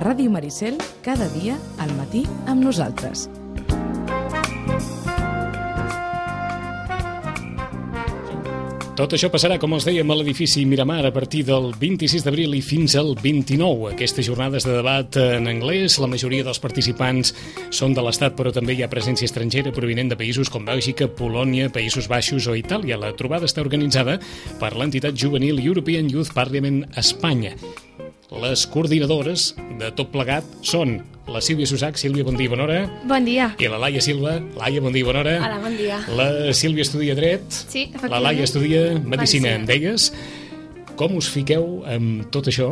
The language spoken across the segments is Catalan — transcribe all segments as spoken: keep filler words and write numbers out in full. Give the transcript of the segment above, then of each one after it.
Ràdio Maricel, cada dia, al matí, amb nosaltres. Tot això passarà, com els dèiem, a l'edifici Miramar a partir del vint-i-sis d'abril i fins al vint-i-nou. Aquestes jornades de debat en anglès, la majoria dels participants són de l'Estat, però també hi ha presència estrangera provinent de països com Bèlgica, Polònia, Països Baixos o Itàlia. La trobada està organitzada per l'entitat juvenil European Youth Parliament Espanya. Les coordinadores de tot plegat són la Sílvia Susac. Sílvia, bon dia, bona hora. Bon dia. I la Laia Silva. Laia, bon dia, bona hora. Hola, bon dia. La Sílvia estudia dret. Sí, efectivament. La Laia estudia medicina, Medicina. em deies. Com us fiqueu amb tot això?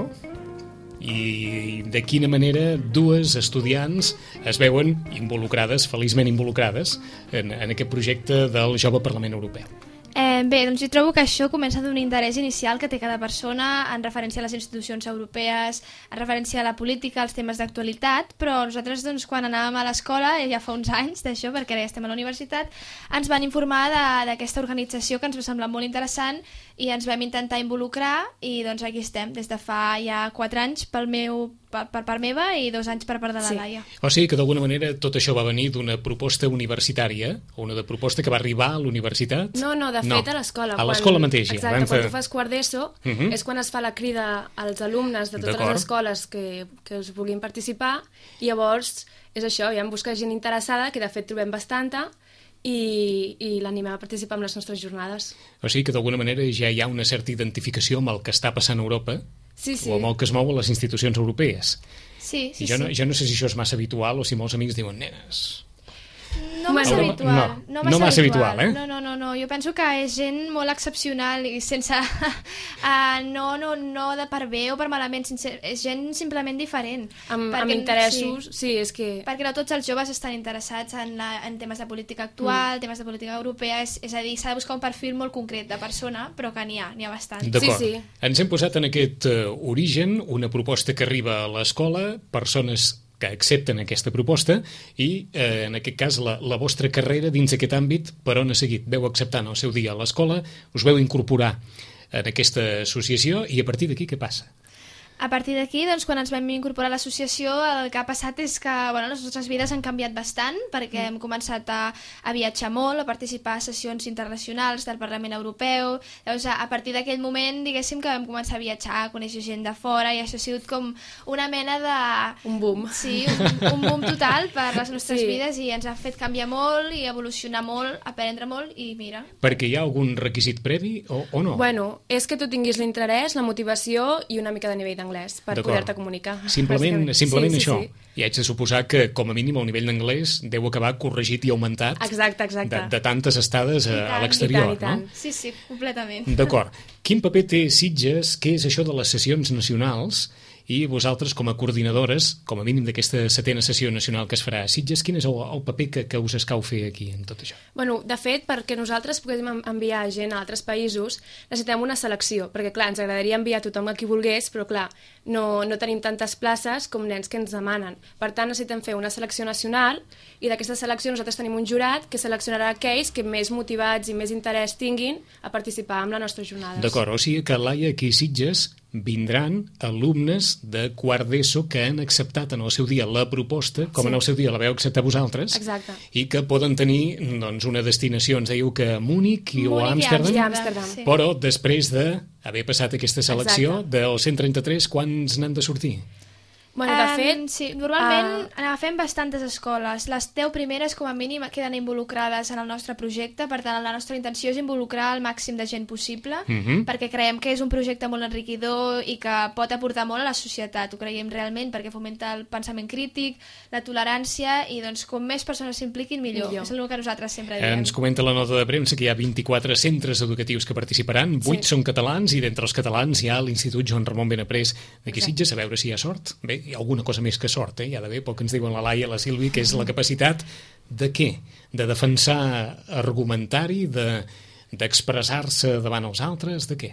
I de quina manera dues estudiants es veuen involucrades, feliçment involucrades, en, en aquest projecte del Jove Parlament Europeu? Eh, bé, doncs jo trobo que això comença d'un interès inicial que té cada persona en referència a les institucions europees, en referència a la política, als temes d'actualitat, però nosaltres doncs, quan anàvem a l'escola, ja fa uns anys d'això, perquè ara ja estem a la universitat, ens van informar d'aquesta organització que ens va semblar molt interessant i ens vam intentar involucrar i doncs aquí estem, des de fa ja quatre anys pel meu, per, per part meva i dos anys per part de la Sí. Laia. O sigui que d'alguna manera tot això va venir d'una proposta universitària, o una de proposta que va arribar a l'universitat? No, no, de fet No. a l'escola. A quan- l'escola mateixa. Exacte, Vam quan fer- tu fas quart d'ESO Mhm. és quan es fa la crida als alumnes de totes D'acord. les escoles que, que us vulguin participar i llavors és això, ja hem buscat gent interessada, que de fet trobem bastanta, i, i l'animem a participar en les nostres jornades. O sigui que d'alguna manera ja hi ha una certa identificació amb el que està passant a Europa, Sí, sí. o amb el que es mou a les institucions europees. Sí, sí, I jo, sí. no, jo no sé si això és massa habitual o si molts amics diuen, nenes... No massa Bueno, habitual. no, No, no massa habitual, eh? No, no, no, no. Jo penso que és gent molt excepcional i sense... uh, no, no, no de per bé o per malament, sense, és gent simplement diferent. Amb, Perquè- amb interessos, sí. sí, és que... Perquè no tots els joves estan interessats en, la, en temes de política actual, mm. temes de política europea, és, és a dir, s'ha de buscar un perfil molt concret de persona, però que n'hi ha, n'hi ha bastant. D'acord. Sí, sí. Ens hem posat en aquest uh, origen una proposta que arriba a l'escola, persones que accepten aquesta proposta i, eh, en aquest cas, la, la vostra carrera dins aquest àmbit, per on ha seguit? Veu acceptar en el seu dia a l'escola, us veu incorporar en aquesta associació i a partir d'aquí què passa? A partir d'aquí, doncs, quan ens vam incorporar a l'associació, el que ha passat és que bueno, les nostres vides han canviat bastant, perquè mm. hem començat a, a viatjar molt, a participar a sessions internacionals del Parlament Europeu. Llavors, a, a partir d'aquell moment, diguéssim que vam començar a viatjar, a conèixer gent de fora, i això ha sigut com una mena de... Un boom. Sí, un, un boom total per les nostres Sí. vides, i ens ha fet canviar molt i evolucionar molt, aprendre molt, i mira... Perquè hi ha algun requisit previ o, o no? Bueno, és que tu tinguis l'interès, la motivació i una mica de nivell d'anglès per D'acord. poder-te comunicar. Simplement, bàsicament. simplement sí, això. Sí, sí. I haig de suposar que, com a mínim, el nivell d'anglès deu acabar corregit i augmentat Exacte, exacte. de, de tantes estades a, I a tant, l'exterior, i tant, i tant. no? Sí, sí, completament. D'acord. Quin paper té Sitges? Què és això de les sessions nacionals? I vosaltres, com a coordinadores, com a mínim d'aquesta setena sessió nacional que es farà a Sitges, quin és el, el paper que, que us escau fer aquí en tot això? Bueno, de fet, perquè nosaltres puguem en- enviar gent a altres països, necessitem una selecció, perquè, clar, ens agradaria enviar tothom a qui volgués, però, clar, no, no tenim tantes places com nens que ens demanen. Per tant, necessitem fer una selecció nacional, i d'aquesta selecció nosaltres tenim un jurat que seleccionarà aquells que més motivats i més interès tinguin a participar en les nostres jornades. D'acord, o sigui que, Laia, aquí a Sitges vindran alumnes de quart d'ESO que han acceptat en el seu dia la proposta, com Sí. en el seu dia la veu acceptar vosaltres, Exacte. i que poden tenir doncs, una destinació, ens dèieu que a Múnich i, o a Múnich i Amsterdam, I a Amsterdam. Sí. però després d'haver passat aquesta selecció Exacte. dels cent trenta-tres, quants n'han de sortir? Bueno, de Em, fet... sí, normalment ah, agafem bastantes escoles. Les deu primeres, com a mínim, queden involucrades en el nostre projecte. Per tant, la nostra intenció és involucrar el màxim de gent possible, Mhm. perquè creiem que és un projecte molt enriquidor i que pot aportar molt a la societat. Ho creiem realment, perquè fomenta el pensament crític, la tolerància, i doncs com més persones s'impliquin, millor. Millor. És el que nosaltres sempre diem. Ens comenta la nota de premsa que hi ha vint-i-quatre centres educatius que participaran, vuit Sí. són catalans i d'entre els catalans hi ha l'Institut Joan Ramon Benaprés d'aquí Exacte. Sitges, a veure si hi ha sort. Bé, hi ha alguna cosa més que sort, eh? Hi ha d'haver, pel que ens diuen la Laia i la Sílvia, que és la capacitat de què? De defensar argumentari, de d'expressar-se davant els altres, de què?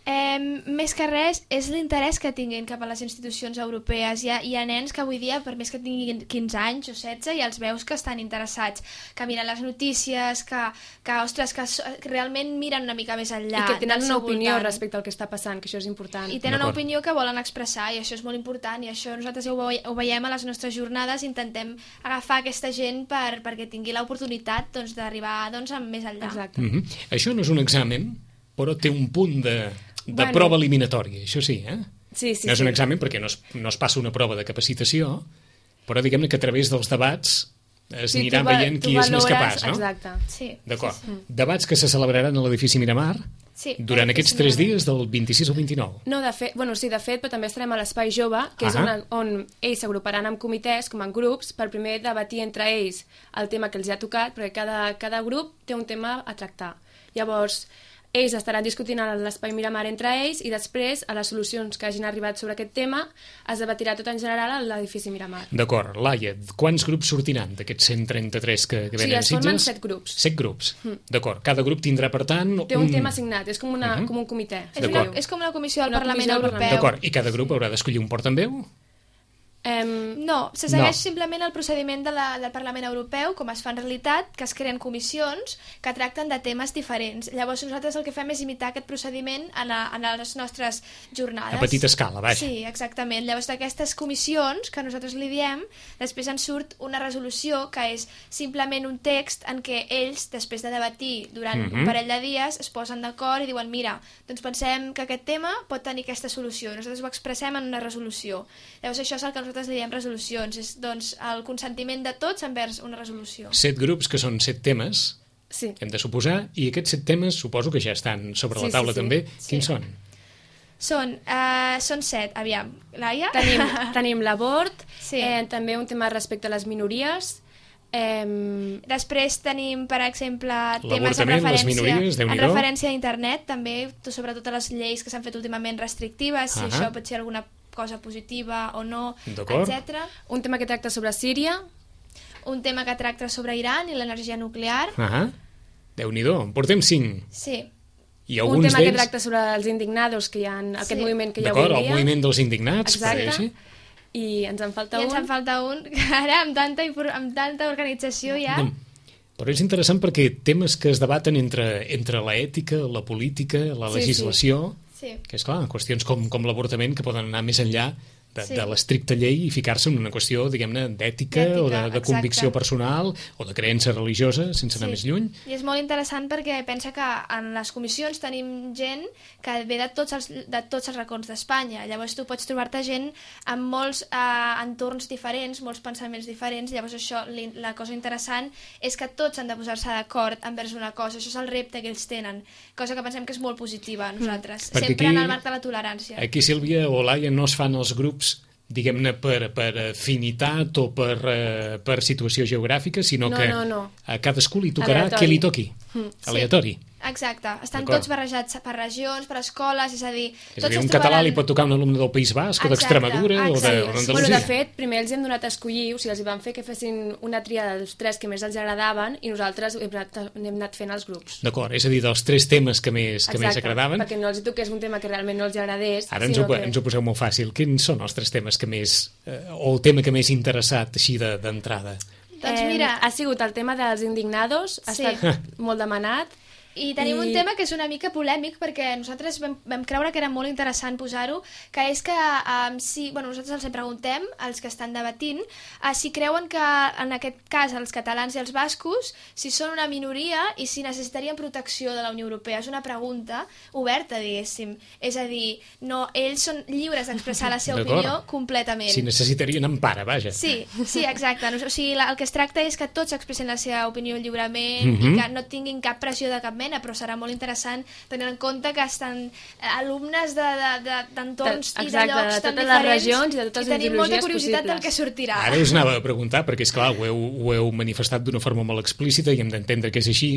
Eh, més que res és l'interès que tinguin cap a les institucions europees. Hi ha, hi ha nens que avui dia, per més que tinguin quinze anys o setze, i els veus que estan interessats, que miren les notícies, que, que ostres, que, so, que realment miren una mica més enllà. I que tenen una opinió voltant. respecte al que està passant, que això és important. I tenen una opinió que volen expressar, i això és molt important, i això nosaltres ho, ve ho veiem a les nostres jornades, intentem agafar aquesta gent per, perquè tingui l'oportunitat doncs, d'arribar doncs, més enllà. Exacte. Mm-hmm. Això no és un examen, però té un punt de... de bueno, prova eliminatòria, això sí, eh? Sí, sí, no és sí. un examen perquè no es, no es passa una prova de capacitació, però diguem-ne que a través dels debats es sí, anirà va, veient qui és més capaç, no? Exacte. Sí, d'acord. Sí, sí. Debats que se celebraran a l'edifici Miramar sí, durant aquests tres dies del vint-i-sis al vint-i-nou. No, de fet, bueno, sí, de fet, però també estarem a l'Espai Jove, que és on, on ells s'agruparan en comitès, com en grups, per primer debatir entre ells el tema que els ha tocat, perquè cada, cada grup té un tema a tractar. Llavors, ells estaran discutint a l'Espai Miramar entre ells i després, a les solucions que hagin arribat sobre aquest tema, es debatirà tot en general a l'edifici Miramar. D'acord. Laia, quants grups sortiran d'aquests cent trenta-tres que, que venen a Sitges? Sí, es formen set grups. Set grups. Mm. D'acord. Cada grup tindrà, per tant... Té un, un tema assignat, és com, una, uh -huh. com un comitè. És, una, és com una comissió del una Parlament comissió del Europeu. D'acord. I cada grup haurà d'escollir un portaveu? Um, no, se segueix no. simplement el procediment de la, del Parlament Europeu, com es fa en realitat, que es creen comissions que tracten de temes diferents. Llavors nosaltres el que fem és imitar aquest procediment en, a, en les nostres jornades. A petita escala, vaja. Sí, exactament. Llavors d'aquestes comissions, que nosaltres li diem, després en surt una resolució que és simplement un text en què ells, després de debatir durant mm -hmm. un parell de dies, es posen d'acord i diuen, mira, doncs pensem que aquest tema pot tenir aquesta solució. Nosaltres ho expressem en una resolució. Llavors això és el que nosaltres nosaltres li diem resolucions, és doncs, el consentiment de tots envers una resolució. Set grups, que són set temes, sí. hem de suposar, i aquests set temes suposo que ja estan sobre sí, la taula sí, sí. també. Sí. Quins són? Són, uh, són set, aviam. Laia? Tenim, tenim l'abort, sí. eh, també un tema respecte a les minories. Eh... Després tenim, per exemple, temes en les referència, minories, en referència a internet, també, sobretot a les lleis que s'han fet últimament restrictives, si uh -huh. això pot ser alguna cosa positiva o no, etcètera. Un tema que tracta sobre Síria. Un tema que tracta sobre Iran i l'energia nuclear. Uh -huh. Déu-n'hi-do, en portem cinc. Sí. I un tema que tracta sobre els indignados, que hi ha en aquest sí. moviment que hi ha avui dia. D'acord, el moviment dels indignats. Exacte. Per I ens en falta I un. ens en falta un, que ara amb tanta, amb tanta organització ja... No. Però és interessant perquè temes que es debaten entre, entre l'ètica, la política, la sí, legislació, sí. Sí. que és clar, qüestions com, com l'avortament que poden anar més enllà de, sí. de l'estricta llei i ficar-se en una qüestió, diguem-ne, d'ètica o de, de convicció personal o de creença religiosa, sense anar sí. més lluny. I és molt interessant perquè pensa que en les comissions tenim gent que ve de tots els, de tots els racons d'Espanya. Llavors tu pots trobar-te gent amb molts eh, entorns diferents, molts pensaments diferents. Llavors això, la cosa interessant és que tots han de posar-se d'acord envers una cosa. Això és el repte que ells tenen, cosa que pensem que és molt positiva a nosaltres. Mm. Sempre aquí, en el marc de la tolerància. Aquí, Sílvia o Laia, no es fan els grups diguem-ne, per, per afinitat o per, uh, per situació geogràfica, sinó no, que no, no. a cadascú li tocarà aleatori. què li toqui. Mm. Aleatori. Sí. Exacte. Estan tots barrejats per regions, per escoles, és a dir... És a dir, un català li pot tocar un alumne del País Basc o d'Extremadura o d'Andalusia. Bueno, de fet, primer els hem donat a escollir, o sigui, els van fer que fessin una tria dels tres que més els agradaven i nosaltres hem anat, hem anat fent els grups. D'acord, és a dir, dels tres temes que més, que més agradaven. Perquè no els toqués un tema que realment no els agradés. Ara ens ho, que... ens ho poseu molt fàcil. Quins són els tres temes que més... Eh, o el tema que més interessat així d'entrada? De, doncs mira... Eh, ha sigut el tema dels indignados, ha sí. estat molt demanat. I tenim I... un tema que és una mica polèmic perquè nosaltres vam, vam creure que era molt interessant posar-ho, que és que um, si, bueno, nosaltres els preguntem, als que estan debatint, uh, si creuen que en aquest cas els catalans i els bascos, si són una minoria i si necessitarien protecció de la Unió Europea. És una pregunta oberta, diguéssim. És a dir, no, ells són lliures d'expressar la seva opinió completament. Si necessitarien empara, vaja. Sí, sí, exacte. O sigui, la, el que es tracta és que tots expressen la seva opinió lliurement mm-hmm. i que no tinguin cap pressió de cap mena, però serà molt interessant tenint en compte que estan alumnes d'entorns de, de, de, i de llocs de tan totes diferents les regions i de totes i tenim molta curiositat possibles. del que sortirà. Ara us anava a preguntar, perquè és clar, ho heu, ho heu manifestat d'una forma molt explícita i hem d'entendre que és així.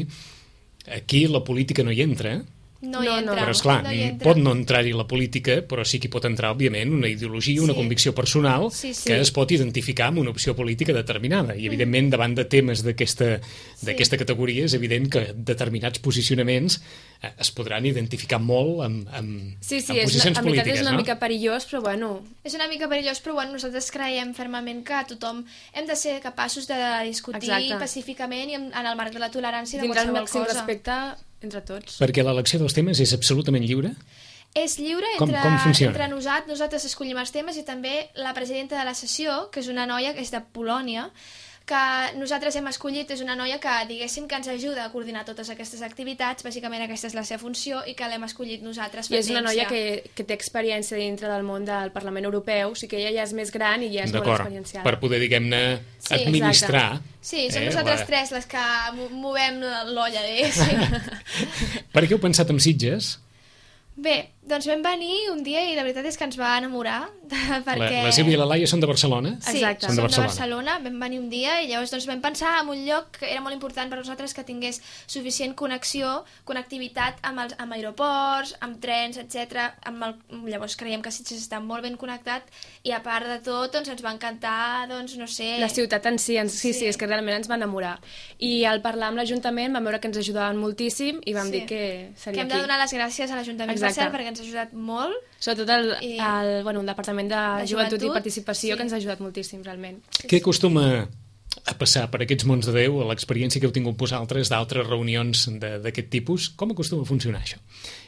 Aquí la política no hi entra, no hi No, no. entra. Però, esclar, no hi entra. pot no entrar-hi la política, però sí que hi pot entrar, òbviament, una ideologia, una Sí. convicció personal Sí, sí. que es pot identificar amb una opció política determinada. I, evidentment, davant de temes d'aquesta d'aquesta categoria, és evident que determinats posicionaments eh, es podran identificar molt amb, amb, Sí, sí, amb és, posicions en veritat polítiques, és una no? mica perillós, però bueno, És una mica perillós, però bueno, nosaltres creiem fermament que tothom hem de ser capaços de discutir Exacte. pacíficament i en, en el marc de la tolerància de tindrà el qualsevol màxim cosa. respecte entre tots. Perquè l'elecció dels temes és absolutament lliure? És lliure Com- entre, com funciona? entre nosaltres, nosaltres escollim els temes i també la presidenta de la sessió, que és una noia que és de Polònia, que nosaltres hem escollit, és una noia que, diguéssim, que ens ajuda a coordinar totes aquestes activitats, bàsicament aquesta és la seva funció i que l'hem escollit nosaltres. I és una per noia temps, que, que té experiència dintre del món del Parlament Europeu, o sigui que ella ja és més gran i ja és molt D'acord, experienciada. per poder, diguem-ne, Sí, administrar. Sí, som eh, nosaltres la- tres les que mo- movem l'olla, diguéssim. Per què heu pensat en Sitges? Bé, doncs vam venir un dia i la veritat és que ens va enamorar, perquè... La, la Sílvia i la Laia són de Barcelona? Sí, Exacte. som Són de de Barcelona. Barcelona, vam venir un dia i llavors doncs, vam pensar en un lloc que era molt important per nosaltres que tingués suficient connexió, connectivitat amb, els, amb aeroports, amb trens, etcètera. Amb el, llavors creiem que Sitges està molt ben connectat i a part de tot doncs, ens va encantar, doncs, no sé... La ciutat en si, ens, sí, sí, Sí. és que realment ens va enamorar. I al parlar amb l'Ajuntament vam veure que ens ajudaven moltíssim i vam Sí. dir que Que seria hem aquí. de donar les gràcies a l'Ajuntament, per Exacte. cert, perquè ens ha ajudat molt. Sobretot el, I- el, bueno, el Departament de, De Joventut, Joventut, i Participació, sí. que ens ha ajudat moltíssim, realment. Què acostuma a passar per aquests mons de Déu, a l'experiència que heu tingut vosaltres d'altres reunions de- d'aquest tipus? Com acostuma a funcionar això?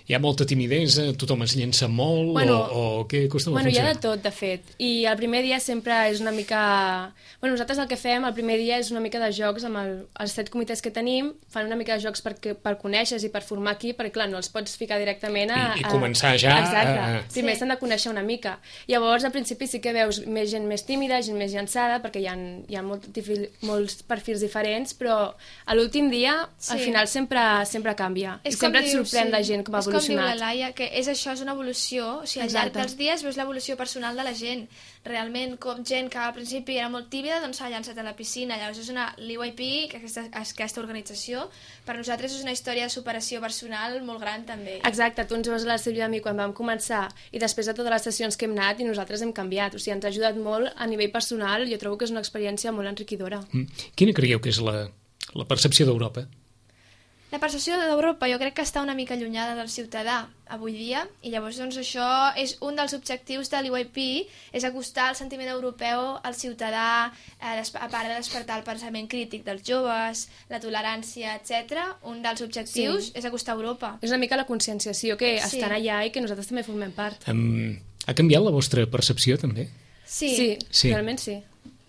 Hi ha molta timidesa, tothom es llença molt, Bueno, o, o què acostuma Bueno, a hi ha funcionar? de tot, de fet. I el primer dia sempre és una mica... Bueno, nosaltres el que fem el primer dia és una mica de jocs amb el, els set comitès que tenim, fan una mica de jocs per, per conèixer i per formar aquí, perquè clar, no els pots ficar directament a... I- i a- començar ja Exacte. a- a- Primer Sí. s'han de conèixer una mica. Llavors, al principi sí que veus més gent més tímida, gent més llançada, perquè hi ha, hi ha molt, difil- molts perfils diferents, però a l'últim dia, Sí. al final sempre, sempre canvia. I És com sempre et diu, sorprèn sí. la gent com ha És com diu evolucionat. la Laia, que és això, és una evolució. O sigui, al llarg Exacte. dels dies veus l'evolució personal de la gent. Realment, com gent que al principi era molt tímida, doncs s'ha llançat a la piscina. Llavors és una... L'I Y P, que aquesta, aquesta organització, per nosaltres és una història de superació personal molt gran, també. Exacte, tu ens veus a la Sílvia i a mi quan vam començar i després de totes les sessions que hem anat i nosaltres hem canviat, o sigui, ens ha ajudat molt a nivell personal, jo trobo que és una experiència molt enriquidora. Mm. Quina creieu que és la, la percepció d'Europa? La percepció d'Europa jo crec que està una mica allunyada del ciutadà avui dia i llavors doncs això és un dels objectius de l'I Y P, és acostar el sentiment europeu al ciutadà, eh, a part de despertar el pensament crític dels joves, la tolerància, etcètera. Un dels objectius Sí. és acostar Europa. És una mica la conscienciació que Sí. estan allà i que nosaltres també formem part. Um, ha canviat la vostra percepció, també? Sí, sí, Sí. realment sí.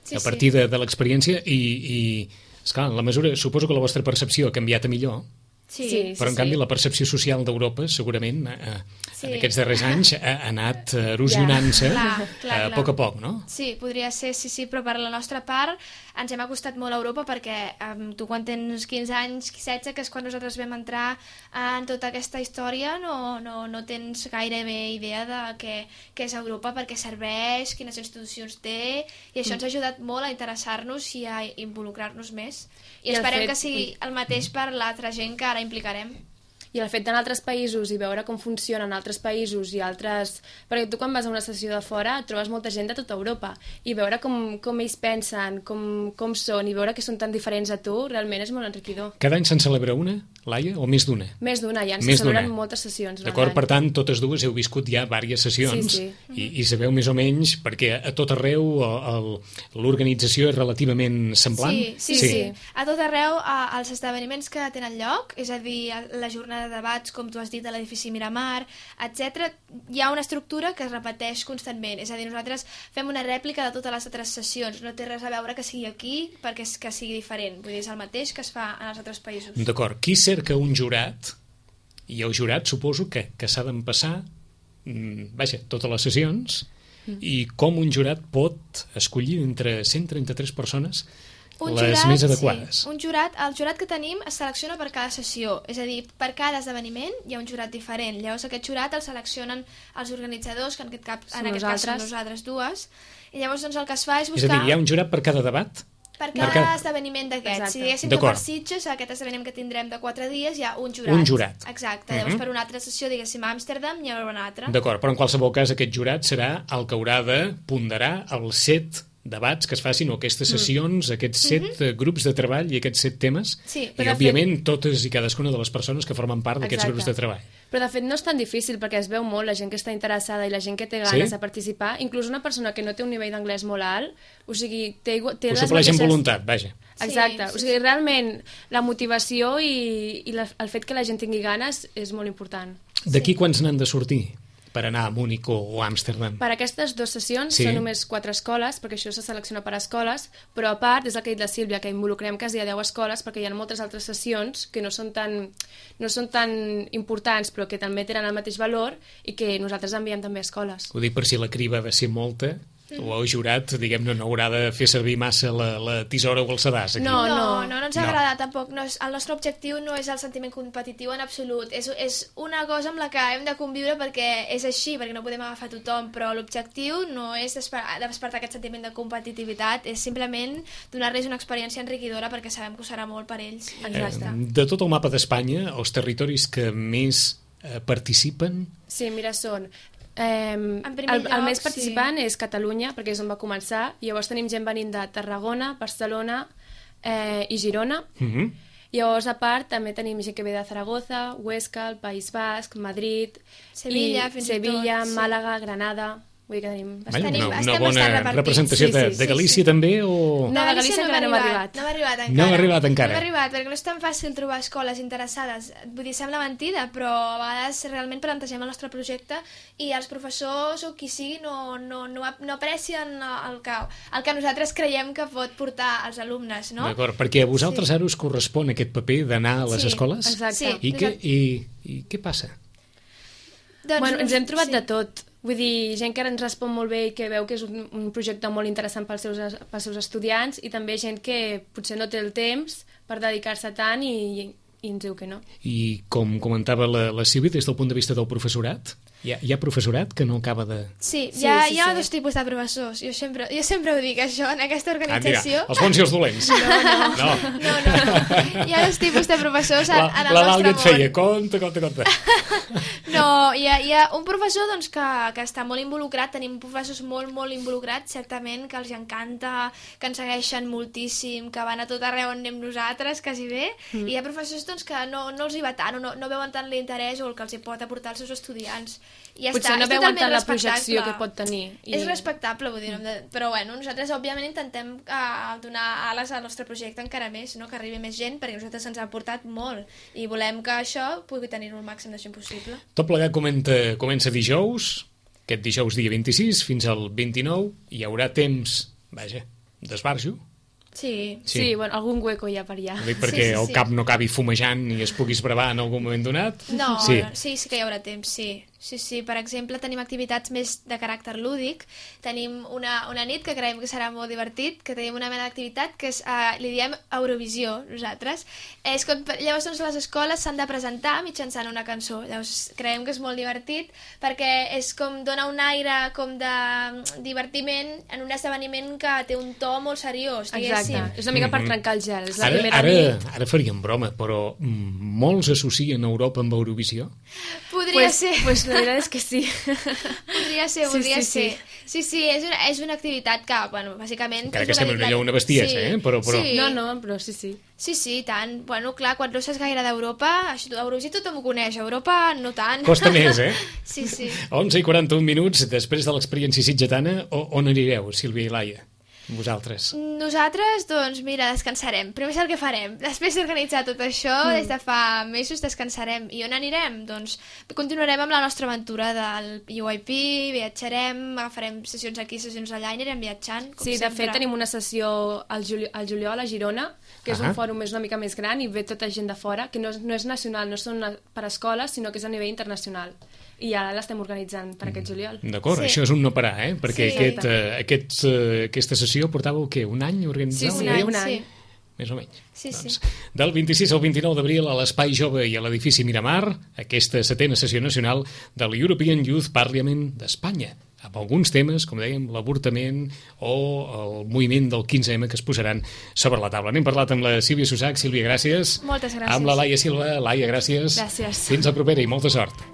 sí, A partir de, de l'experiència i, i esclar, en la mesura, suposo que la vostra percepció ha canviat a millor, sí. Sí. sí. però en canvi la percepció social d'Europa segurament eh, Sí. en aquests darrers anys ha, ha anat eh, erosionant-se Clar, clar, eh, clar. a poc a poc, no? Sí, podria ser, sí, sí, però per la nostra part ens hem acostat molt a Europa perquè um, tu quan tens quinze anys, setze, que és quan nosaltres vam entrar en tota aquesta història, no, no, no tens gairebé idea de què, què és Europa, per què serveix, quines institucions té, i això ens ha ajudat molt a interessar-nos i a involucrar-nos més. I, I el esperem fet- que sigui el mateix per l'altra gent que ara implicarem. I el fet d'anar a altres països i veure com funcionen altres països i altres... Perquè tu quan vas a una sessió de fora trobes molta gent de tota Europa i veure com, com ells pensen, com, com són i veure que són tan diferents a tu, realment és molt enriquidor. Cada any se'n celebra una, Laia, o més d'una? Més d'una, ja ens Més celebren d'una. moltes sessions. durant D'acord, l'any. per tant, totes dues heu viscut ja diverses sessions Sí, I, i sabeu més o menys, perquè a tot arreu el- el- l'organització és relativament semblant? Sí, sí, sí, sí. A tot arreu, a, als esdeveniments que tenen lloc, és a dir, a la jornada de debats, com tu has dit, a l'edifici Miramar, etcètera, hi ha una estructura que es repeteix constantment. És a dir, nosaltres fem una rèplica de totes les altres sessions. No té res a veure que sigui aquí perquè és que sigui diferent. Vull dir, és el mateix que es fa en els altres països. D'acord. Qui cerca un jurat? I el jurat suposo que, que s'ha d'empassar mm, vaja, totes les sessions i com un jurat pot escollir entre cent trenta-tres persones Un les jurat, més adequades. Sí. Un jurat, el jurat que tenim es selecciona per cada sessió, és a dir, per cada esdeveniment hi ha un jurat diferent. Llavors aquest jurat el seleccionen els organitzadors, que en aquest, cap, Som en aquest cas són nosaltres. nosaltres dues, i llavors doncs, el que es fa és És a buscar... dir, hi ha un jurat per cada debat? Per cada, cada... esdeveniment d'aquests. Si diguéssim que per Sitges, aquest esdeveniment que tindrem de quatre dies, hi ha un jurat. Un jurat. Exacte. Uh-huh. Llavors, per una altra sessió, diguéssim, a Amsterdam, hi haurà una altra. D'acord, però en qualsevol cas aquest jurat serà el que haurà de ponderar els set debats que es facin, o aquestes sessions, mm. aquests set mm-hmm. grups de treball i aquests set temes, sí, i òbviament fet... totes i cadascuna de les persones que formen part d'aquests grups de treball. Però de fet no és tan difícil, perquè es veu molt la gent que està interessada i la gent que té ganes sí? de participar, inclús una persona que no té un nivell d'anglès molt alt, o sigui, té, té Ho les supleix mateixes... amb voluntat, vaja. Exacte, sí, sí, o sigui, realment la motivació i, i la, el fet que la gent tingui ganes és molt important. D'aquí sí. quants n'han de sortir per anar a Múnich o, o Amsterdam? Per aquestes dues sessions sí. són només quatre escoles, perquè això se selecciona per escoles, però a part, és el que ha dit la Sílvia, que involucrem quasi a deu escoles, perquè hi ha moltes altres sessions que no són tan, no són tan importants, però que també tenen el mateix valor i que nosaltres enviem també a escoles. Ho dic per si la criba ha de ser molta, o el jurat, diguem-ne, no haurà de fer servir massa la, la tisora o el sedàs. Aquí. No, no, no, no ens agrada no. tampoc. No és, el nostre objectiu no és el sentiment competitiu en absolut. És, és una cosa amb la que hem de conviure perquè és així, perquè no podem agafar tothom, però l'objectiu no és despertar aquest sentiment de competitivitat, és simplement donar-los una experiència enriquidora perquè sabem que ho serà molt per ells. Exacte. Eh, de tot el mapa d'Espanya, els territoris que més eh, participen... Sí, mira, són... Eh, el, lloc, el més participant sí. és Catalunya, perquè és on va començar, i llavors tenim gent venint de Tarragona, Barcelona eh, i Girona. Uh-huh. Llavors, a part, també tenim gent que ve de Zaragoza, Huesca, el País Basc, Madrid, Sevilla, i fins Sevilla, tot, sí. Màlaga, Granada... Vull dir que tenim... Vale, tenim una, una bona representació sí, de, sí, de Galícia sí, sí. també o... No, de Galícia encara no hem arribat. No hem arribat encara. No hem arribat encara. No hem arribat, perquè no és tan fàcil trobar escoles interessades. Vull dir, sembla mentida, però a vegades realment plantegem el nostre projecte i els professors o qui sigui no, no, no, no aprecien el que, el que nosaltres creiem que pot portar als alumnes, no? D'acord, perquè a vosaltres sí. ara us correspon aquest paper d'anar a les sí, escoles? Exacte. Sí, I, què, i, I què passa? Doncs, bueno, ens hem trobat sí. de tot. Vull dir, gent que ens respon molt bé i que veu que és un, un projecte molt interessant pels seus, pels seus estudiants, i també gent que potser no té el temps per dedicar-se tant i, i ens diu que no. I com comentava la, la Sílvia, des del punt de vista del professorat, hi ha, hi ha professorat que no acaba de... Sí, sí, hi ha, sí, hi ha sí. dos tipus de professors. Jo sempre, jo sempre ho dic, això, en aquesta organització... Ah, mira, els bons i els dolents. No, no. No, no, no. Hi ha dos tipus de professors en, en el la nostre món. La et feia, compte, compte, compte. No, hi ha, hi ha un professor doncs, que, que està molt involucrat, tenim professors molt, molt involucrats, certament, que els encanta, que ens segueixen moltíssim, que van a tot arreu on anem nosaltres, quasi bé, mm. i hi ha professors doncs, que no, no els hi va tant, no, no veuen tant l'interès o el que els hi pot aportar als seus estudiants. I ja potser està, no veuen tant la projecció que pot tenir. I... És respectable, vull dir, mm. però bueno, nosaltres òbviament intentem uh, donar ales al nostre projecte encara més, no? Que arribi més gent, perquè nosaltres ens ha aportat molt i volem que això pugui tenir-ho el màxim de gent possible. Tot plegat comenta, comença dijous, aquest dijous dia vint-i-sis fins al vint-i-nou, hi haurà temps, vaja, d'esbarjo. Sí. sí, sí, bueno, algun hueco hi ha per allà. Ho dic perquè sí, sí, el cap no acabi fumejant i es pugui esbravar en algun moment donat. No, sí, sí, sí que hi haurà temps, sí. Sí, sí, per exemple, tenim activitats més de caràcter lúdic. Tenim una, una nit que creiem que serà molt divertit, que tenim una mena d'activitat que és, uh, li diem Eurovisió, nosaltres. És com, llavors, doncs, les escoles s'han de presentar mitjançant una cançó. Llavors, creiem que és molt divertit perquè és com dona un aire com de divertiment en un esdeveniment que té un to molt seriós, diguéssim. Exacte, és una mica per trencar el gel. És la ara, primera ara, nit. Ara faríem broma, però molts associen Europa amb Eurovisió? Podria pues, ser. Pues la veritat és que sí. Podria ser, podria sí, sí, ser. Sí, sí, sí és, una, és una activitat que, bueno, bàsicament... Encara que sembla una, una bestiesa, sí, eh? Però, però... Sí. No, no, però sí, sí. Sí, sí, tant. Bueno, clar, quan no saps gaire d'Europa, Eurovisió tothom ho coneix, Europa no tant. Costa més, eh? Sí, sí. onze i quaranta-un minuts, després de l'experiència sitgetana, on anireu, Sílvia i Laia? Vosaltres? Nosaltres, doncs, mira, descansarem. Primer és el que farem. Després d'organitzar tot això, mm. des de fa mesos descansarem. I on anirem? Doncs continuarem amb la nostra aventura del U I P, viatjarem, agafarem sessions aquí, sessions allà, i anirem viatjant, com sí, sempre. De fet, tenim una sessió al, juli al juliol a Girona, que és uh -huh. un fòrum més una mica més gran i ve tota gent de fora, que no, no és nacional, no són per escoles, sinó que és a nivell internacional. I ara l'estem organitzant per aquest juliol. D'acord, sí. Això és un no parar, eh? Perquè sí, aquest, uh, aquest, uh, aquesta sessió portàveu, què, un any organitzada? Sí, sí, un any, un any. Sí. Més o menys. Sí, sí. Doncs, del vint-i-sis al vint-i-nou d'abril a l'Espai Jove i a l'edifici Miramar, aquesta setena sessió nacional de l'European Youth Parliament d'Espanya. amb alguns temes, com dèiem, l'avortament o el moviment del quinze ema que es posaran sobre la taula. N'hem parlat amb la Sílvia Susac. Sílvia, gràcies. Moltes gràcies. Amb la Laia Silva. Laia, gràcies. Gràcies. Fins la propera i molta sort.